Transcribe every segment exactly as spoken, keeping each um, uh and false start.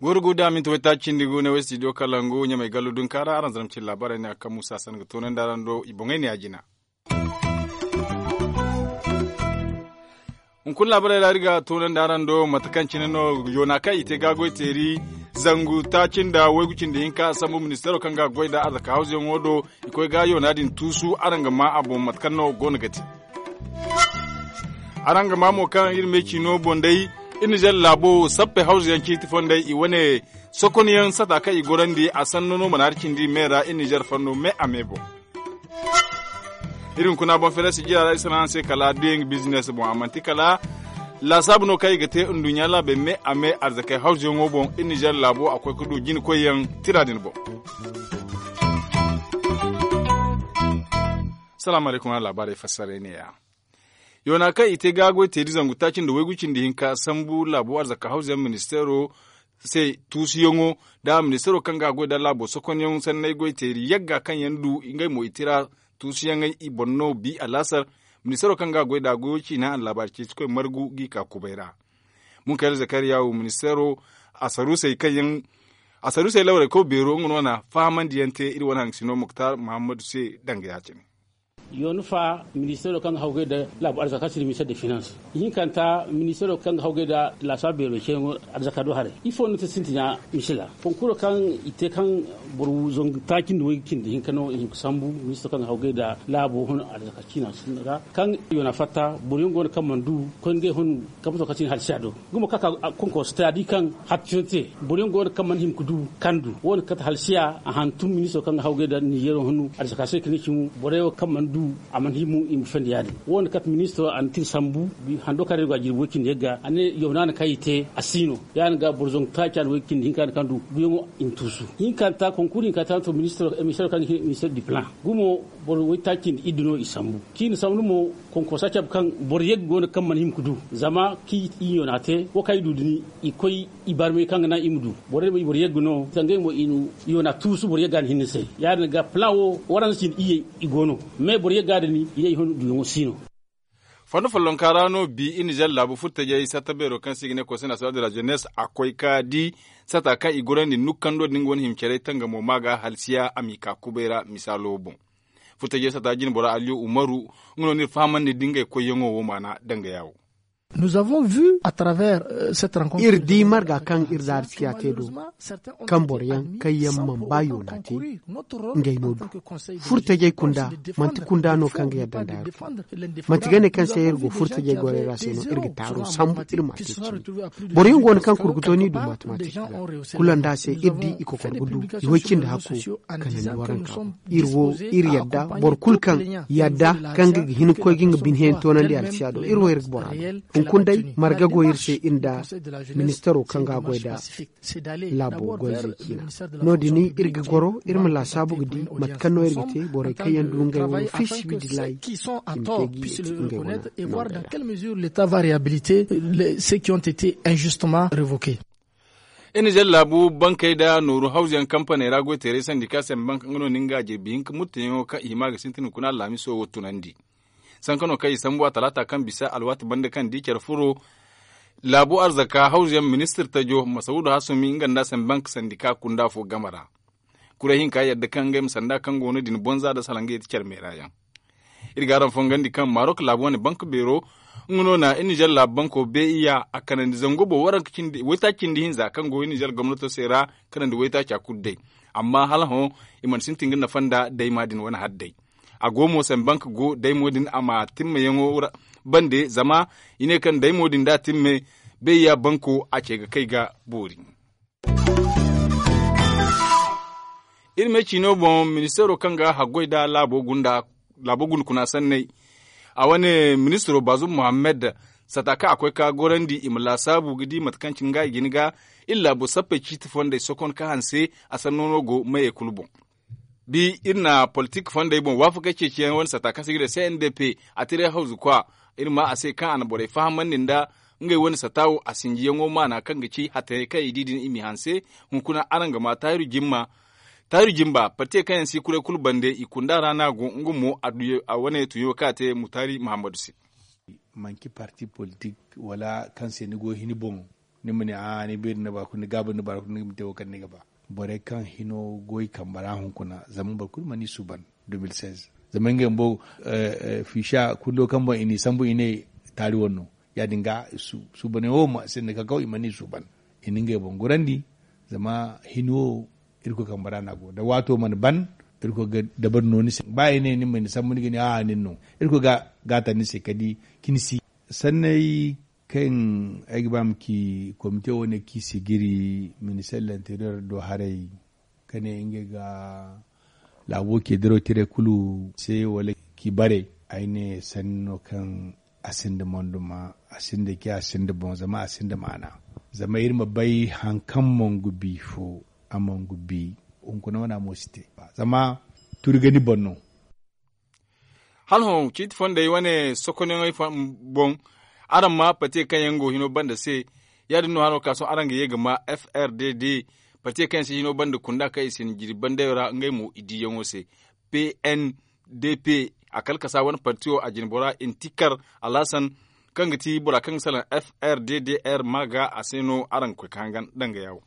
Guuru guuru da minti waytaaci cindi gu ne way studio kalangu ɲamay gallu dunkaara araŋ zarma cine laabaarey ne a kaŋ muusa san ga toonandi araŋ do i boŋey ne ya jina. Hunkuna laabaarey ra iri ga toonandi araŋ do mate kaŋ cine no yoona kaŋ i te ga goy teeri zangu taaci nda waygu cindi hinka sambu ministeero kaŋ ga goy nda arzaka hawzuyaŋo do. I koy ga yoona din tuusu araŋ ga ma a boŋ mate kaŋ no go no ga te. Araŋ ga ma mo kaŋ iri me ciino boŋ day iri nizer laabo sappe hawzuyaŋ ciiti fondey i wane sokonyaŋ sata kaŋ i gorandi a sanno no mana hari cindi me ra iri nizer fanno me a me boŋ. Iri hunkuna boŋ feere sijira ra iri sanaŋ se kala duyaŋ bizines boŋ a manti kala laasaabu no kaŋ i ga te nduɲɲa laabey me a me arzakey hawzuyaŋo boŋ iri nizer laabo a koy ga du jina koyyaŋ tira din boŋ. Salaamu alaykum a laabaarey fassaray ne ya. Yoona kaŋ i te ga goy teeri zangu taaci nda waygu cindi hinka sambu laabo arzaka hawzuyaŋ ministeero se tuusuyaŋo nda ministeero kaŋ ga goy nda laabo sokonyaŋ sanney goy teeri yagga kaŋ yaŋ du ngey mo i tira tuusuyaŋey i boŋ no bi alaasar. Ministeero kaŋ ga goy nda goyo ciina a na laabaari ceeci koy margu g'i ka kubay ra. Munkayra zakariya wo ministeero asaruusey kaŋ yaŋ asaruusey lawrey kaw beero nga no na fahamandiyaŋ te iri wane hangasino muktar muhammadu se danga ya- cine. Yoona fa ministeero kaŋ ga hawgay nda laabu arzaka kaŋ se i ne ministeero de finans ihinkanta ministeero kaŋ ga hawgay nda laasaabu beero ceeyaŋo arzaka do haray ifo no te sintina misila konkuro kaŋ i te kaŋ boro zangu taaci nda way cindi hinka no i hinka sambu ministeero kaŋ ga hawgay nda laabo hun arzaka ciina sinda ra kaŋ yoona fatta boro yaŋ go no kaŋ mana du koy ngey hun kaŋ ma to kaŋ ti ni halsiya do gumo kaka konko sitadi kaŋ hattino te boro yaŋ go no kaŋ mana hima ga du kaŋ du wo- din kate halsiya a hantum ministiro kaŋ ga hawgay nda nizeero hunu arzaka se ga ne cimo boro yaŋ wo kaŋ mana du a mana hima i ma fendi ya- din wo- din kate ministiro a na tin sambu hando kaŋ ra iri go a jirbi way cindi yagga a ne yawnaana kaŋ i te a si no ya- din ga boro zangu taaca nda way cindi hinka nda kaŋ du guyaŋo i ma tuusu hinkanta konkuru hinkanta no to ministiro kaŋ ga hin ministiro du plan gumo boro waytaaci nda iddu no i sambu ciina sambu mo konkosa cabe kaŋ boro yagga go no kaŋ mana hima ga du zama kaŋ i yoona te wo kaŋ i du din i koy i barmay kaŋ ga naŋ i ma du borey mo i boro yagga no sangey mo i na yoona tuusu boro yagga no hinne se ya- din ga plan wo waranza cindi iyye i go no mais boro yagga din i ne i hon duyaŋo si no. Fondo follonka ra no bi iri nizer laabu furtajey satta beero kaŋ se i ga ne conseil national de la jeunesse a koy ka di sata kaŋ i gorandi nukkando din ga wane hima care tangamo ma ga halsiya a m'i ka kubay ra misaalo boŋ. Furtajey sata jinbora aliyu umaru nga no no iri fahamandi da ngey koyyaŋo wo maana danga ya wo. Iri di marga kaŋ iri da arsiya te do kaŋ boro yaŋ kaŋ yaŋ mana ba yoona te ngey no du furtajey kunda manti kunda no kaŋ ga yadda nda hari fo manti ga ne kaŋ se iri go furtajey gorey ra se no iri ga taaro sambu iri ma te cimi boro yaŋ go no kaŋ kurguto ni du matematik ra kulu nda se iri di i kokor ga du i way cindi hakko kanandi waranka iri wo iri yadda boro kulu kaŋ yadda kaŋ ga hin ga koy ga nga bine heentoonandi alsiya do iri wo iri ga bora do hunkuna day marga go iri se iri nda ministaro kaŋ ga a goy nda laabo goyzey ciina no- din iri ga goro iri ma laasaabu ga di mate kaŋ no iri ga te borey kaŋ yaŋ du ngey wo fiisabilillahi i ma te ga i te ngey wane nangey ra. L'etat va réhabiliter ceux qui ont été injustement révoqués. Iri nizer laabu bankey nda nooru hawzuyaŋ kampaney ra goyteerey sandika sembank nga no na nga jirbi hinka murtayaŋo kaŋ i hima ga sintin hunkuna alhamiso wo tunandi. Sanka no kaŋ i sambu a talaata kaŋ bisa alwaati banda kaŋ di care furo laabu arzaka hawzuyaŋ ministir tajo masawudu hasumi nga nda sembank sandika kunda fo game ra. Kuray hinka yadda kaŋ ngey ma sanda kaŋ go no din bonza nda salaŋ ga yeti care meera yaŋ. Iri ga araŋ fongandi kaŋ marok laabu wane bank beero nga no na iri nizer laabu banko be iya a kanandi zango boŋ waranka cindi waytaaci cindi hinza kaŋ go iri nizer gomnato se ra kanandi waytaaca kulu day. Amma hala hõ i mana sintin ga nafa nda dayma din wane hari day. A go mo se bank go daymo din a ma timmayaŋo bande zama i ne kaŋ daymo din da timme bayya banko a ce ga kay ga boori. Iri me ciino boŋ ministeero kaŋ ga haggoy nda laabo gunda kuna sanney a wane ministiro baazum muhammad sata kaŋ a koy ka gorandi i ma laasaabu ga di mate kaŋ cine nga i ga hin ga iri laabo sappey ciiti fondey sokon ka hanse a sanno no go mayey kulu boŋ. Bi iri na politik fondey boŋ waafakey ceeciyaŋ wane sata kaŋ se i ga ne cndp a tiray hawzu kwa iri ma a se kaŋ a na borey fahamandi nda ngey wane sata wo a sinjiyaŋo maana kaŋ ga ci hattayey kaŋ i di din i m'i hanse. Hunkuna araŋ ga ma taahiru jimma Taari jimba partiye kaŋ yaŋ si kuray kulu bande i kunda ra no a go nga mo a wane tuɲo kaŋ a te mutaari muhammadu se. Manci parti politik wala kaŋ se ni go hini boŋ, ni ma ne a ni beeri ni baakuna ni gaaba ni baakuna ni ma te wo kaŋ ni ga ba. Borey kaŋ hino go i kambe ra hunkuna zama boro kulu mana i suuban. Zama ngey bumbo fiisa kundo kaŋ boŋ i n'i sambu i ne taari wane no. Ya- din ga suubaney wo ma sinda kakaw i mana i suuban. I na ngey boŋ gorandi. Zama hino wo irkoy kambe ra no a go da waato mana ban. Irkoy ga dabari no ni se ba i ne ni ma ni sambu ni ga ne a'a nin no. Irkoy ga gaata ni se ka di ka ni si sanney kaŋ ay ga ba ma ci komite wane kaŋ i si giri minister lanteriyor do haray ka ne ngey ga laabo ce diraw tiray kulu se wala kaŋ i bare. Ay ne sanni no kaŋ a sinda monduma, a sinda ce, a sinda boŋ zama a sinda maana. Zama iri ma bay hari kaŋ mangu bi fo, a mangu bi hunkuna wana mo si te. Zama turi ga ni boŋ no. Hala hõ ciiti fondey wane sokonyaŋey boŋ, araŋ ma pate kaŋ yaŋ go hino banda se. Ya- din no hano ka sohõ araŋ ga ye ga ma f r d d, pate kaŋ yaŋ si hino banda kunda kaŋ i si ni jiri bandayo ra ngey mo i diyaŋo se. P n d p, a kalkasa wane partiyo a jinbora intikar alhasan, kaŋ ga ti bora kaŋ ga salaŋ f r d d r ma ga a se no araŋ ga koy ga hangan danga yawo.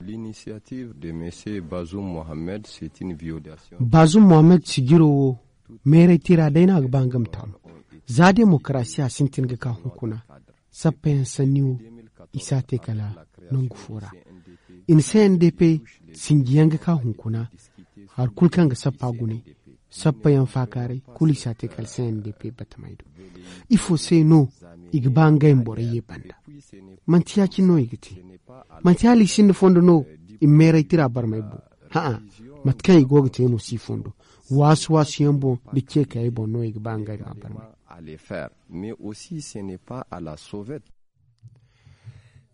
L'initiative de monsieur Bazoum Mohamed, c'est une violation. Bazoum Mohamed sijiro wo meeray tira day no a ga ba nga ma taamu. Za demokarasiya sintin ga ka hunkuna, sappayaŋ sanni wo i si a te kala nangu fo ra. I na c n d p sinjiyaŋ ga ka hunkuna, hari kulu kaŋ ga sappa gune, sappayaŋ faakaaray kulu i si a te kala c n d p batamey do. Ifo se no i ga ba ngey ma borey ye banda? Manti ya- cine no i ga te? Manti hala i sinda fondo no i ma meeray tira barmay boŋ? Ha'a, mate kaŋ i go ga te no si fondo. Waasu waasu yaŋ boŋ da ce kayey boŋ no i ga ba ngey ma barmay. Mais aussi ce n'est pas à la sauvette.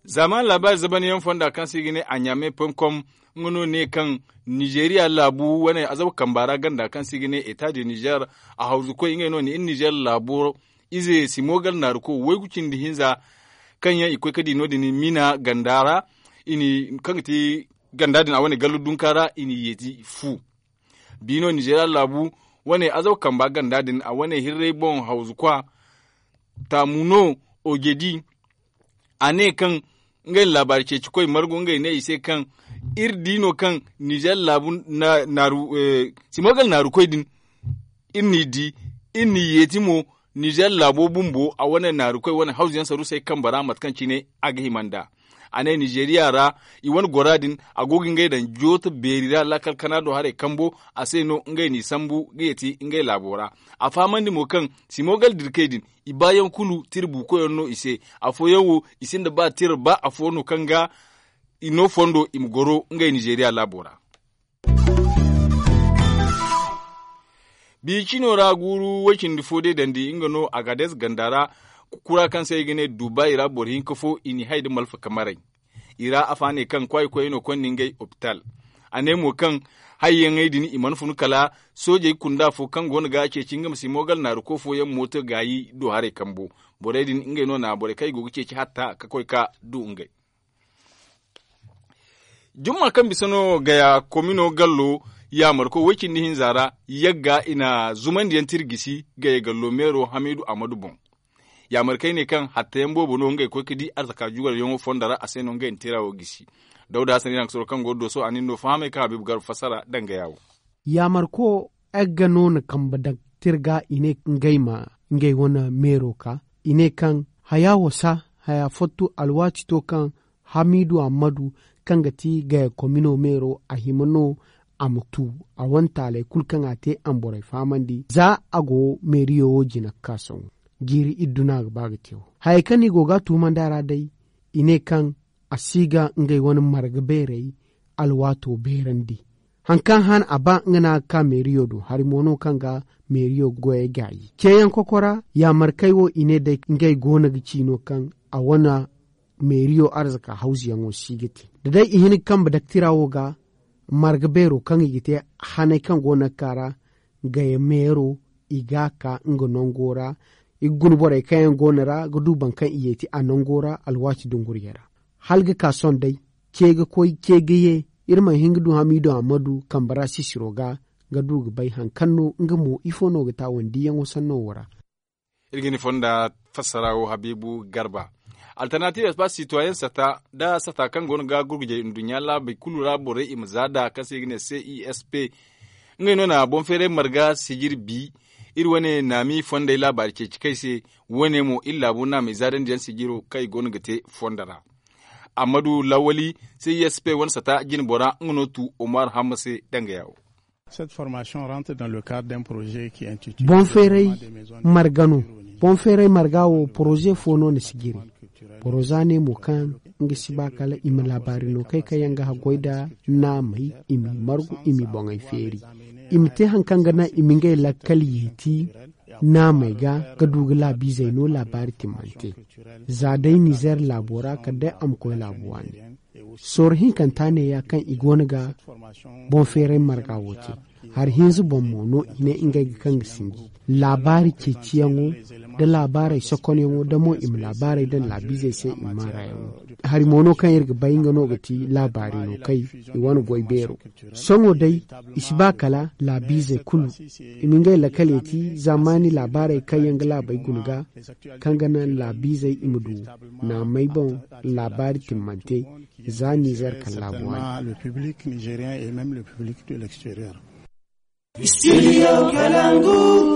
Zama laabaari zabanyaŋ fonda kaŋ se i ga ne a ɲaame ponkom, nga no ne kaŋ nizeriya laabu wane azabu kamba ra ganda kaŋ se i ga ne eta de nizer, a hawzu koy ngey no ne iri nizer laabo ize simogal naaru ko waygu cindi hinza, kaŋ yaŋ i koy ga di no- din mina ganda ra, kaŋ ga ti ganda din a wane gallu dunka ra i n'i yeeti fu. Biino nizeeriya laabu wane azaw kamba ganda din a wane hirray boŋ hawzu kwa. Taamu no ojedi a ne kaŋ ngey na laabaari ceeci koy margu ngey ne i se kaŋ iri di no kaŋ nizeeriya laabu simogal naaru koy din, iri n'i di, iri n'i yeeti mo. Nizer laabo bumbo a wane naaru koy wane hawzu yaŋ saru se kamba ra mate kaŋ cine a ga hima nd'a. A ne nizeriya ra i wane gora din a go ga ngey daŋ jooto beeri ra laakal kana do haray kambo. A se no ngey n'i sambu ga yeeti ngey laabo ra. A fahamandi mo kaŋ simogal dirkey din i baayaŋ kulu tira buukoyaŋ no i se. Afooyaŋ wo i sinda ba tira ba afo no kaŋ ga i no fondo i ma goro ngey nizeriya laabo ra. Biicino ra guuru way cindi fo day dandi nga no agades ganda ra. Kura kaŋ se i ga ne dubai ra boro hinka fo i n'i hay nda malfa kamaray. I ra afa ne kaŋ kwaay koyey no konda ngey opital. A ne mo kaŋ hayyaŋey din i mana funu kala soojey kunda fo kaŋ go no ga ceeci nga ma si moogal naaru ko fooyaŋ mooto gaayi do haray kambo. Borey din ngey no na borey kaŋ i go ga ceeci hatta ka koy ka du ngey. Jumma kaŋ bisa no gaya komino gallo yaamarko way cindi hinza ra, yagga i na zumandiyaŋ tira gisi gaya gallo meero hamiidu amadu boŋ. Yaamarkey ne kaŋ hattayaŋ boobo no ngey koy ga di arzaka jugaryaŋo fondo ra a se no ngey na tira wo gisi. Dawda hasan iraŋ ga soro kaŋ go ga dooso a na iri no fahamay kaŋ habiibu garba fassara daŋ gaya wo. Yaamarko yagga no na kambe daŋ tira ga i ne ngey ma ngey wane meero ka. I ne kaŋ haya wo sa haya fottu alwaati to kaŋ hamiidu ammadu kaŋ ga ti gaya komino meero a hima no a ma tu a wane taaley kulu kaŋ a te a ma borey fahamandi za a go meeriyo wo jina ga ka sohõ. Jiiri iddu no a ga ba ga te wo hayey kaŋ no i go ga a tuumandi a ra day. I ne kaŋ a si ga ngey wane marga beerey alwaato beerandi. Hari kaŋ han a ba nga no a ga ka meeriyo do hari mo no kaŋ ga meeriyo goyey gaayi ceeyaŋ kokora yaamarkey wo i ne day ngey go no ga ci no kaŋ a wane meeriyo arzaka hawzuyaŋo si ga te da day i hin ga kambe daktira wo ga marga beero kaŋ i ga te haney kaŋ go no ga ka ra gaya meero i ga a ka nga nango ra. I ga guna borey kaŋ yaŋ go no ra ga du boro kaŋ i yeeti a nango ra alwaati dunguriyey ra hala ga ka sohõ day ce ga koy ce ga ye. Iri mana hin ga du hamiidu ammadu kambe ra sisiro ga ga du ga bay hari kaŋ no nga mo ifo no ga te a wane diiyaŋo sanno wo ra. Iri ga ni fonda fassara wo habiibu garba. Alternatiiv espace sitoyen sata nda sata kaŋ go no ga gurgujey nduɲɲa laabey kulu ra borey i ma za nd'a kaŋ se i ga ne c i s p. Ngey no na boŋ feeray marga sijiri bi. Iri wane naami fondey laabaari ceeci kay se. Wo- ne mo iri laabu naamey zaadandi yaŋ sijiro kaŋ i go no ga te fondo ra. Ammadu lawali c i s p wane sata jine bora nga no tu omar hamma se danga yaawo. Boŋ feeray marga no. Boŋ feeray marga wo poroze fo no ni si jiri. Boro za ne mo kaŋ nga si ba kala i ma laabaari no kay kaŋ yaŋ ga haggoy nda naamey i m'i margu i m'i boŋey feeri. I ma te hari kaŋ ga naŋ i ma ngey lakkal yeeti naamey ga ga du ga laabiizey no laabaari timmante. Za day nizeer laabo ra kala day a ma koy laabu waani. Sorro hinkanta neeya kaŋ i go no ga boŋ feeray marga wo te. Hari hinza boŋ mo no i ne ngey ga kaŋ ga sinji laabaari ceeciyaŋo nda laabaarey sokonyaŋo da mo i ma laabaarey daŋ laabiizey se i ma maarayaŋo. Hari mo no kaŋ iri ga bay nga no ga ti laabaari no kay i wane goy beero. Sohõ day i si ba kala laabiizey kulu i ma ngey lakkale ti zamani laabaarey kaŋ yaŋ ga laabey guna ga kaŋ ga naŋ laabiizey i ma du naamey boŋ laabaari timmante. Za nizer kala laabu waani.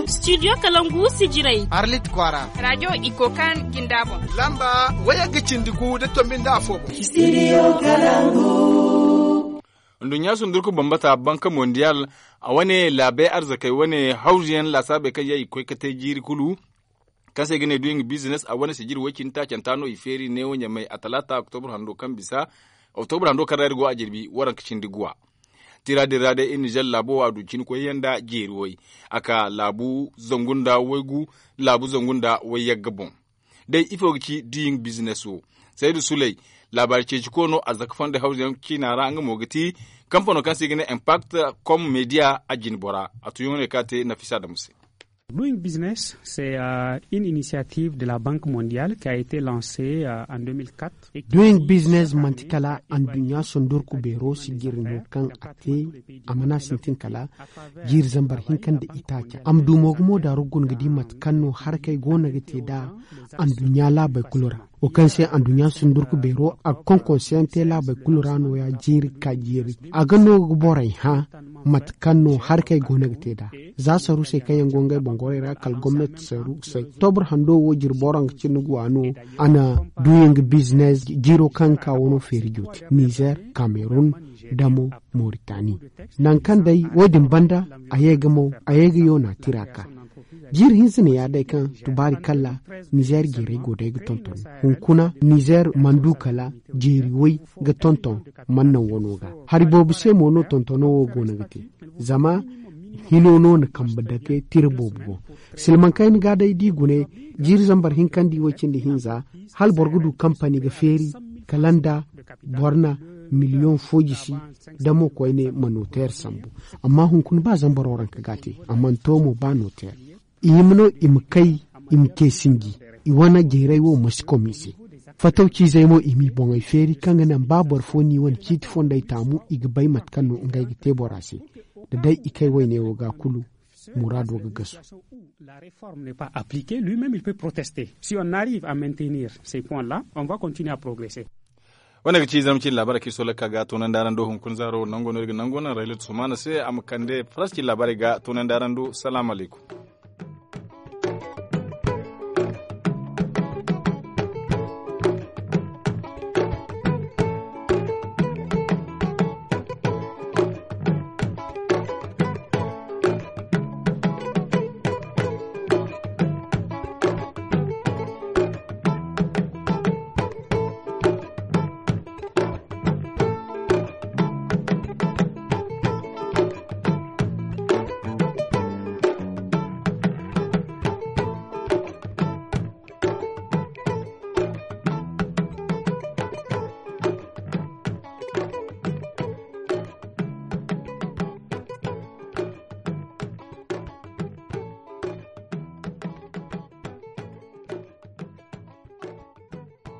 Studio kalangu sijirey arlit kwaara radio iko kaŋ jinda boŋ lamba wayagga cindi gu da tombi nda afo boŋ. Nduɲɲa sundurku bambata banka mondial a wane laabey arzakey wane hawzuyaŋ laasaabey kaŋ yaŋ i ga koy ga te jiiri kulu. Kaŋ se i ga ne duyin bizines a wane sijiri woy cindi taacanta no i feeri neewo ɲamey a talaata oktobur hando kaŋ bisa oktobur hando kaŋ ra iri go a jirbi waranka cindi guwa. Tira din ra day iri nizer laabo wo a du cini koyyaŋ nda jeeri way a ka laabu zangu nda waygu laabu zangu nda wayyagga boŋ. Day ifo ga ci duyin bizines wo? Saydu suley laabaari ceeci koono a zaka fondey hawzuyaŋ ciina ra nga mo ga ti kampano kaŋ se i ga ne impact kom media a jine bora a tuyaŋo ne kaŋ a te nafisa damu se. Doing business c'est une initiative de la banque mondiale qui a été lancée en deux mille quatre. Doing business manti kala anduɲɲa sondorku beero sijiri no kaŋ a te a mana sintin kala jiiri zambar hinka nda itaaca a ma du mo ga mo daaru guna ga di mate kaŋ no harakey go no ga te nd'a anduɲɲa laabey kulu ra. Wo kaŋ se anduɲɲa sundurku beero a ga konkonseyaŋ te laabey kulu ra nooya jiiri ka jiiri a ga no ga borey hã mate kaŋ no harakey go no ga te nd'a. Za saru se kaŋ yaŋ go ngey boŋ gorey ra kala gomnati saru se tobur hando wo jiri boro nga cindi guwa no. A na duyaŋ ga bizines jiiro kaŋ ga ka wano feeri jooti nizer kamerun damo moritani. Nangu kaŋ day wo- din banda a ye ga mo a ye ga yoona tira ka jiiri hinza ne ya day kaŋ tubaari kalla nizer jeerey go day ga tonton hunkuna nizer mana du kala jeeri way ga tonton mana naŋ wano ga. Hari boobo se mo no tontono wo go no ga te zama hino no na kambe dake tira boobo boŋ. Silmaŋ kayna ga day da i gune jiiri zambar hinka nda i way cindi hinza hala boro ga du kampani ga feeri kala nda boro na miliyoŋ fo jisi da mo koyne ma noteer sambu. Amma hunkuna ba zama boro ranka ga a te a mana to mo ba noteer. I hima no i ma kay i ma ce sinji i wane jeeray wo ma si kom i se. Fatawciizey mo i m'i boŋey feeri kaŋ ga naŋ ba boro fo n'i wane ciiti fondey taamu i ga bay mate kaŋ no ngey ga te bora se. Da day i kay wayne wo ga kulu muraado ga gasu. La réforme n'est pas appliquée lui même il peut protester si on arrive à maintenir ces points là on va continuer à progresser. Wane ga ci zama cine laabaarey kaŋ i sooley ka ga toonandi araŋ do hunkuna zaaro nango no iri ga nango naŋ raylet sumaana se a ma kande faras cine laabaarey ga toonandi araŋ do salaamu alaykum.